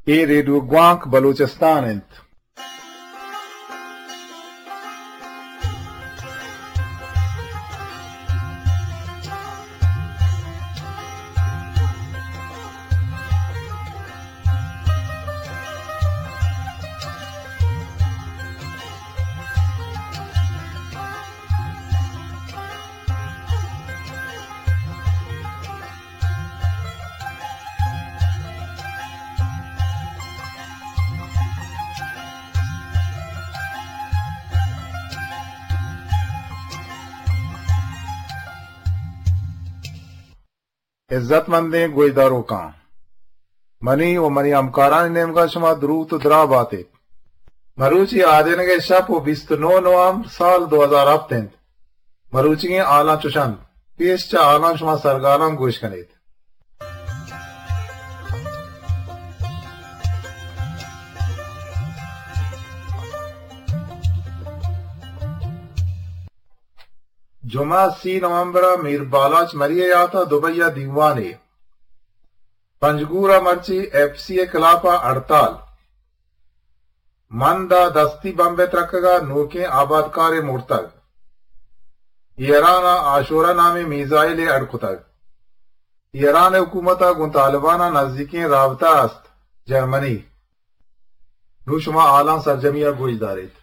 اے ریڈیو گوانک بلوچستان انت۔ عزت مندیں گوشداروکاں، منی و منی ہمکارانی نیمگا شما دروت و دراہ باتیت۔ مروچی آدینگے شپ و بیست و نو نومبر سال دو ہزار ہپت انت۔ مروچیگیں حالاں چوش انت۔ پیش چہ حالاں شما سرگالان گوش کنیت۔ جمعہ سی نومبر ء میر بالاچ مری ء یات ء دبئی ء دیوانے۔ پنجگور ء مرچی ایف سی ء خلاف ء ہڑتال۔ مند ء دستی بمب ء ترکگ ء نوکیں آبادکارے مرتگ۔ ایران ء عاشورہ نامیں میزائلے اڈ کتگ۔ ایران ء حکومت ء گوں طالبان ء نزیکیں رابطہ است۔ جرمنی۔ نوں شما حالاں سرجمی ء گوش داریت۔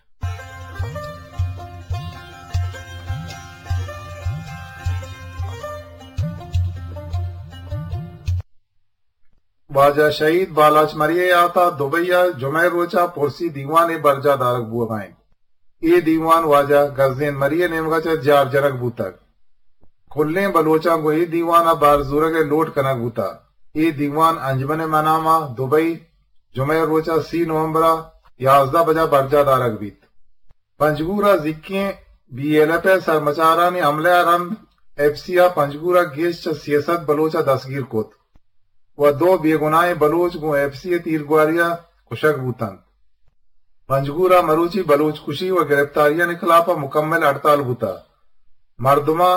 واجہ شہید بالاچ مری ء یات ء دبئی ء جمعہ ء روچ ء پرسی دیوانے برجاہ دارگ بوگ ء انت۔ اے دیوان واجہ گزین مری ء نیمگ ء چہ جار جنگ بوتگ۔ کلیں بلوچاں گوں اے دیوان ء بہر زورگ ء لوٹ کنگ بوتگ۔ اے دیوان انجمن ء منام ء دبئی جمعہ ء روچ ء سی نومبر ء یازدہ بجا برجاہ دارگ بیت۔ پنجگور ء زیکیں بی ایل ایف ء سرمچارانی حملہ ء رند ایف سی ء پنجگور ء گیش چہ سیصد بلوچ ء دستگیر کت و دو بے گناہیں بلوچ گوں ایف سی ء تیرگواری ء کشگ بوت انت۔ پنجگور ء مروچی بلوچ کشی و گرفتاریانی خلاف ء مکمل ہڑتال بوتگ۔ مردماں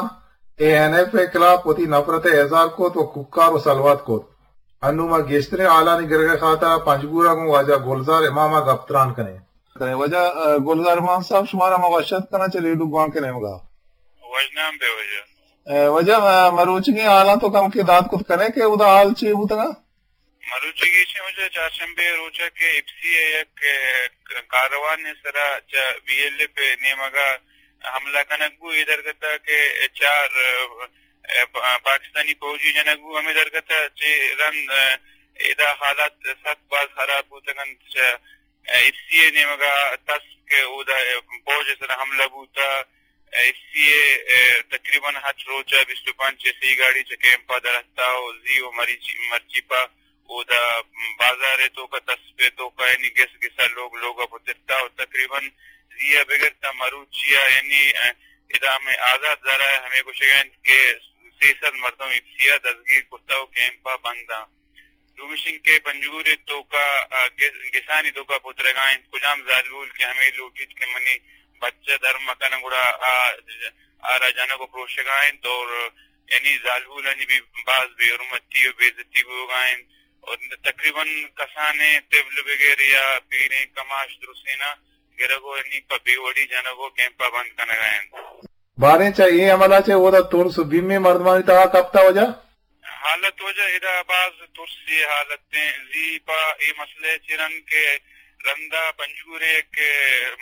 اے این ایف ء خلاف وتی نفرت ء اظہار کت و کوکار و سلوات کت۔ انوں ما گیشتریں حالانی گرگ ء خاطر ء پنجگور ء گوں واجہ گلزار امام ء گپ تران کنیں۔ کنیں۔ واجہ، ا، گلزار امام صاحب، شمارا ما وش اتک کناں چہ ریڈیو گوانک ء نیمگ ء۔ وش نام بے واجہ۔ ا، واجہ، ا، مروچیگیں حالاں تو کمکے دات کت کنئے کہ اودا حال چے بوتگ ء؟ مروچیگیں چے واجہ، چارشنبے ء روچ ء کہ ایف سی ء یک، ا، کاروان ء سرا چہ بی ایل ایف ء نیمگ ء حملہ کنگ بو، اے درگت ء کہ چار، ا، ا، پا-، پاکستانی فوجی جنگ بو، ہمے درگت ء چہ رند، ا، ادا حالات سک باز خراب بوتگ انت۔ چہ ایف سی ء نیمگ ء تس کہ اودا فوج ء سرا حملہ بوت ء ایف سی ء تقریباً ہشت روچ ء بیست و پنچ سی گاڑی چہ کیمپ ء در اتک ء زی و مریچی-، مرچی پہ اودا بازار ء توک ء تس پہ توک ء یعنی گس گس ء لوگ لوگ ء پترت ء تقریباً زی ء بگر تا مروچی ء یعنی ادا ہمے آزات زرا ء ہمے گوشگ ء انت کہ سیصد مردم ایف سی ء دزگیر کرتگ و کیمپ ء بند انت۔ دومیش انکہ پنجگور ء توکا، آ، گس-، گسانی توکا پترگا انت، کجام زالبول کہ ہمے لوٹیت کہ منی بچہ در مکن گڑا آ، آرا جنگ و پروشگا انت اور یعنی زالبولانی بھی باز بے حرمتی و بے عزتی بوگا انت اور تقریباً کسانیں طفل بگر یا پیریں کماش درسینا گرگ و یعنی پہ بے وڑی جنگ و کیمپا بند کنگا انت۔ باریں چہ اے عملا چہ اودا ترس و بیمے مردمانی تہا کپتا واجہ؟ حالت واجہ ادا باز ترسی حالت ایں۔ زی پہ اے مسئلہ چہ رند کہ رندا پنجگور ء یک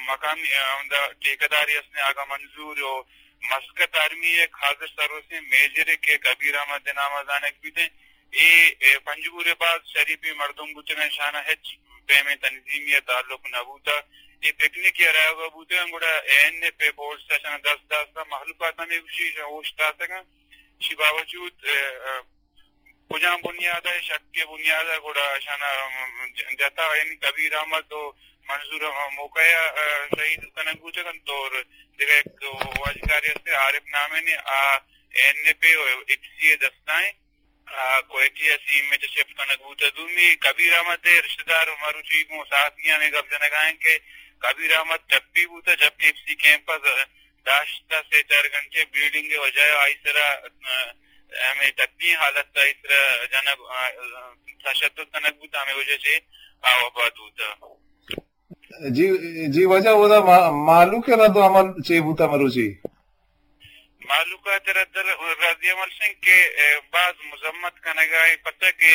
مقامی، آ، ہمدا ٹھیکیدارے است ایں آغا منظور و مسقط آرمی ء یک حاضر سروسیں میجرے کہ کبیر احمد ء نام ء زانگ بیت ایں۔ اے، اے پنجگور ء باز شریفیں مردم بوتگ انت، شانا ہچ پیمیں تنظیمی ء تعلق نہ بوتگ۔ اے پکنک ء رایوگا بوتگ انت، گڑا اے این ایف ء فورس ء شانا دست داشتگ، مخلوقات ہمے گوشی اوشتاتگ انت۔ چی باوجود، ء، ء، کجام بنیاد ء، شک ء بنیاد ء گڑا اشانا، م، ج-، جتا، یعنی کبیر احمد و منظور ء موقع ء، ء، شہید کنگ بوتگ انت اور دگہ یک واجکارے است عارف نامیں نے آ این ایف ء و ایف سی ء دستائیں، آ، کوئٹہ ء سیم ء چہ شفٹ کنگ بوتگ۔ دومی کبیر احمد ء رشتہ دار مروچی گوں صحافیاں ہمے گپ جنگا انت کہ کبیر احمد ٹپی بوتگ جبکہ ایف سی کیمپ ء داشتہ سے چار گھنٹے بلیڈنگ ء وجہ ء آئی سرا، ء، ہمے ٹپی حالت ء ترا جنگ، آ، تشدد کنگ بوت، ہمے وجہ چہ آ وفات بوت۔ جی، جی واجہ، اودا ما-، مہلوک ء رد ء عمل چے بوت مروچی؟ مہلوک ء رد، رد عمل شنگ کہ، اے، باز مذمت کنگ ء پتہ کہ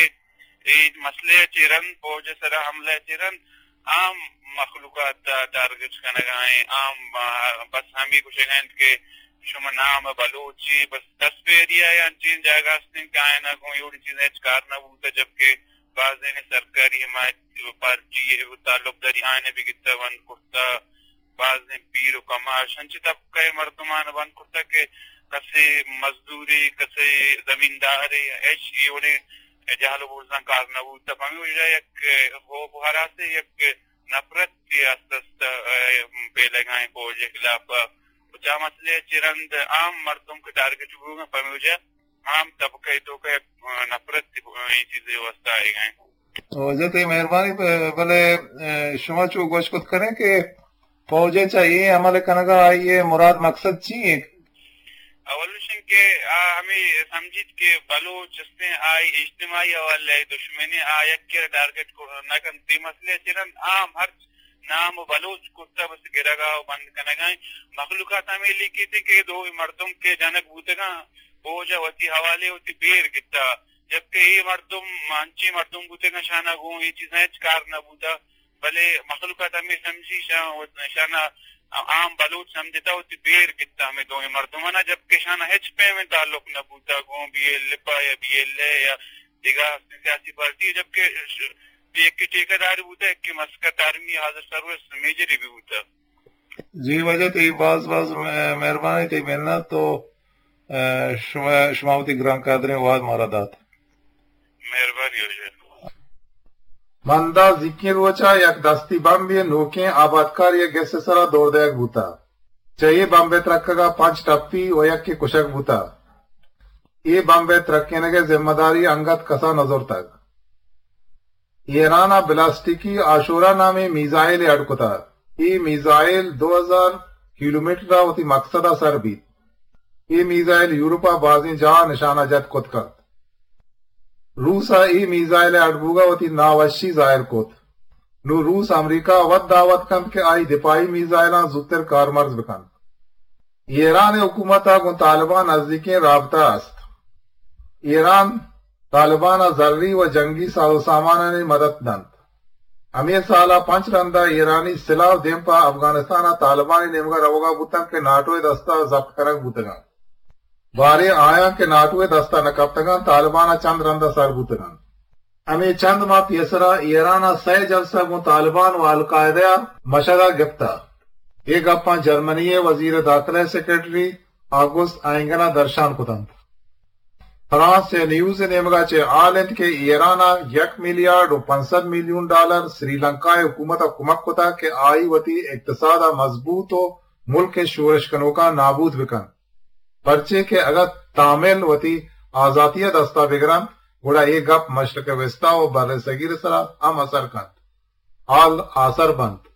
اے مسئلہ ء چہ رند، فوج ء سرا حملہ ء چہ رند عام مخلوقات ء ٹارگٹ کنگ ء ایں۔ عام، آ، بس ہمے گوشگ ء انت کہ شما نام بلوچی، بس دست پہ ایریا ء انچیں جاگہ است انت کہ آیاں گوں اے وڑیں چیزاں ہچ کار نہ بوتہ، جبکہ بازیں سرکاری حمایت پارٹی ء تعلق داری آیاں بگتہ بند کرتہ۔ بازیں پیر و کماش انچیں طبقہ ء مردمان بند کرتگ کہ کسے مزدورے، کسے زمیندارے، ہچ اے وڑیں جہل و بزاں کار نہ بوتگ۔ پمے وجہ ء یک خوف و ہراسے، یک نفرت ء است است، ء، پیلگائیں فوج ء خلاف ء۔ و چا مسئلہ ء چہ رند عام مردم کہ ٹارگٹ بوگ ء، پمے وجہ عام طبقہ ء توک ء، ء، نفرت ء اے چیز ء واسطہ آئیگ ء انت۔ واجہ تئی مہربانی، ب-، بلے، ء، شما چو گوش کت کنیں کہ فوج ء چہ اے عمل کنگ ء آئی ء مراد مقصد چی انت؟ اول اش انت کہ آ ہمے سمجھیت کہ بلوچ استیں، آئی اجتماعی حوالے ء دشمن ء، آ یکے را ٹارگٹ کر-، نہ کنت۔ اے مسئلہ ء چہ رند عام ہرچ نام و بلوچ کرتہ بس گرگ ء و بند کنگ ء انت۔ مخلوقات ہمے لیکیت کہ دوئیں مردم کہ جنگ بوتگاں، فوج ء وتی حوالے وتی بیر گپتہ، جبکہ اے مردم انچیں مردم بوتگاں شاناں گوں اے چیزاں ہچ کار نہ بوتہ، بلے مخلوقات ہمے سمجھی شان، شاناں عام بلوچ سمجھتہ وتی بیر گپتہ ہمے دوئیں مردماناں، جبکہ شاناں ہچ پیمیں تعلق نہ بوتہ گوں بی ایل ایف ء یا بی ایل اے یا دگہ سیاسی پارٹی، جبکہ ش-، یکے ٹھیکیدار بوتہ، یکے مسکت آرمی حاضر سروس میجر بھی بوتہ۔ جی واجہ تئی باز باز مہ-، مہربانی، تئی منت تو، ء، شما، شما وتی گران قدریں وہد مارا دات۔ مہربانی واجہ۔ مندا زیکیں روچا یک دستی بمبے نوکیں آبادکاری ء گس ء سرا دور دئیگ بوتہ۔ چہ اے بمب ء ترکگا پنچ ٹپی و یکے کشگ بوتہ۔ اے بمب ء ترکینگ ء ذمہ داری انگت کسا نہ زرتگ۔ ایران ء بلاسٹکی آشورا نامیں میزائلے اڈ کتہ۔ اے میزائل دو ہزار کلومیٹر ء وتی مقصد ء سر بیت۔ اے میزائل یورپ ء بازیں جاہ ء نشانہ جت کت کنت۔ روس ء اے میزائل ء اڈ بوگ ء وتی ناوشی ظاہر کت۔ نوں روس امریکہ ء وت دعوت کنت کہ آئی دفاعی میزائلاں زوتر کارمرز بکنت۔ ایران ء حکومت ء گوں طالبان نزیکیں رابطہ است۔ ایران طالبان ء زری و جنگی ساز و سامانانی مدد دنت۔ ہمے سال ء پنچ رند ء ایرانی سلاہ و دیم پہ افغانستان ء طالبانی نیمگ ء روگ ء بوتنت کہ ناٹو ء دست ء ضبط کنگ بوتگ انت۔ باریں آیاں کہ ناٹو ء دست ء نہ کپتگ انت، طالبان ء چند رند ء سر بوتگ انت۔ ہمے چند ماہ پیسرا ایران ء سئے جلسہ گوں طالبان و القاعدہ ء مشگ ء گپتہ۔ اے گپاں جرمنی ء وزیر داخلہ ء سیکرٹری آگوست اینگن ء درشان کت انت۔ فرانس ء نیوز ء نیمگ ء چہ حال انت کہ ایران ء یک میلیارڈ و پنچ سد میلیون ڈالر سری لنکا ء حکومت ء کمک کتگ کہ آئی وتی اقتصاد ء مضبوط و ملک ء شورش کنوکاں نابود بکنت۔ پرچے کہ اگاں تامل وتی آزاتی ء دست ء بگرنت، گڑا اے گپ مشرق وسطی و بر صغیر ء سرا ہم اثر کنت۔ حال آسر بنت۔